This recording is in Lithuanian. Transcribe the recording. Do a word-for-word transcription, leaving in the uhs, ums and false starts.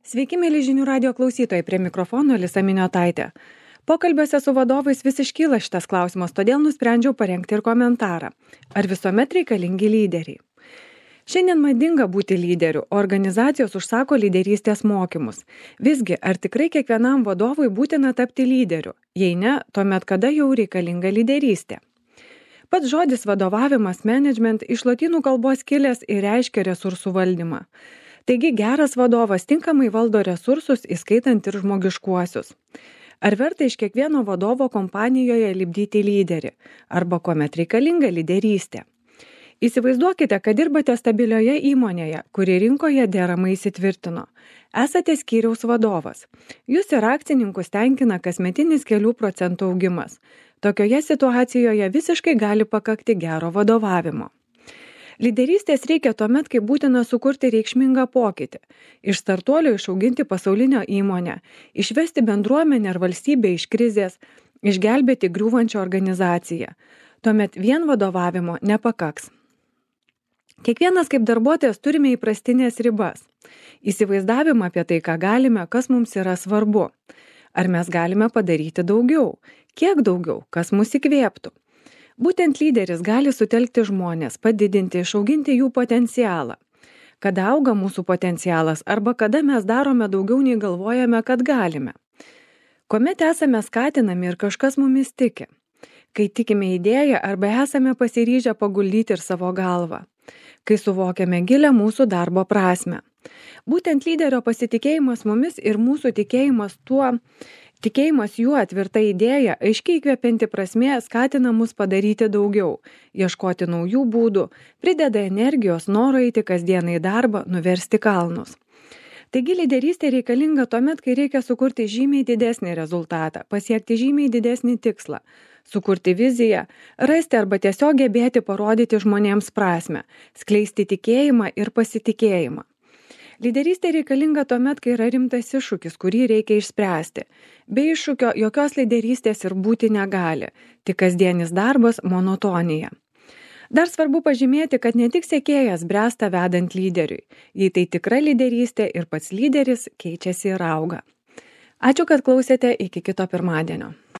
Sveiki, mėly žinių radio klausytojai, prie mikrofono Alisa Miniotaitė. Pokalbiuose su vadovais vis iškyla šitas klausimas, todėl nusprendžiau parengti ir komentarą. Ar visuomet reikalingi lyderiai? Šiandien madinga būti lyderiu, o organizacijos užsako lyderystės mokymus. Visgi, ar tikrai kiekvienam vadovui būtina tapti lyderiu? Jei ne, tuomet kada jau reikalinga lyderystė? Pats žodis vadovavimas, management iš lotynų kalbos kilęs ir reiškia resursų valdymą. Taigi geras vadovas tinkamai valdo resursus, įskaitant ir žmogiškuosius. Ar verta iš kiekvieno vadovo kompanijoje lipdyti lyderį? Arba kuomet reikalinga lyderystė? Įsivaizduokite, kad dirbate stabilioje įmonėje, kuri rinkoje deramai įsitvirtino. Esate skyriaus vadovas. Jūs ir akcininkus tenkina kasmetinis kelių procentų augimas. Tokioje situacijoje visiškai gali pakakti gero vadovavimo. Lyderystės reikia tuomet, kai būtina sukurti reikšmingą pokytį, iš startuolio išauginti pasaulinio įmonę, išvesti bendruomenę ar valstybę iš krizės, išgelbėti griūvančią organizaciją. Tuomet vien vadovavimo nepakaks. Kiekvienas kaip darbuotojas turime įprastinės ribas. Įsivaizdavimą apie tai, ką galime, kas mums yra svarbu. Ar mes galime padaryti daugiau? Kiek daugiau? Kas mus įkvėptų? Būtent lyderis gali sutelkti žmonės, padidinti, išauginti jų potencialą. Kada auga mūsų potencialas arba kada mes darome daugiau nei galvojame, kad galime. Kuomet esame skatinami ir kažkas mumis tiki. Kai tikime idėją arba esame pasiryžę paguldyti ir savo galvą. Kai suvokiame gilę mūsų darbo prasmę. Būtent lyderio pasitikėjimas mumis ir mūsų tikėjimas tuo, tikėjimas juo tvirta idėja, aiškiai įkvepianti prasmė skatina mus padaryti daugiau, ieškoti naujų būdų, prideda energijos, noro eiti kasdieną į darbą, nuversti kalnus. Taigi lyderystė reikalinga tuomet, kai reikia sukurti žymiai didesnį rezultatą, pasiekti žymiai didesnį tikslą, sukurti viziją, rasti arba tiesiog gebėti parodyti žmonėms prasmę, skleisti tikėjimą ir pasitikėjimą. Lyderystė reikalinga tuomet, kai yra rimtas iššūkis, kurį reikia išspręsti. Be iššūkio jokios lyderystės ir būti negali, tik kasdienis darbas monotonija. Dar svarbu pažymėti, kad ne tik sekėjas bręsta vedant lyderiui, jei tai tikra lyderystė ir pats lyderis keičiasi ir auga. Ačiū, kad klausėte, iki kito pirmadienio.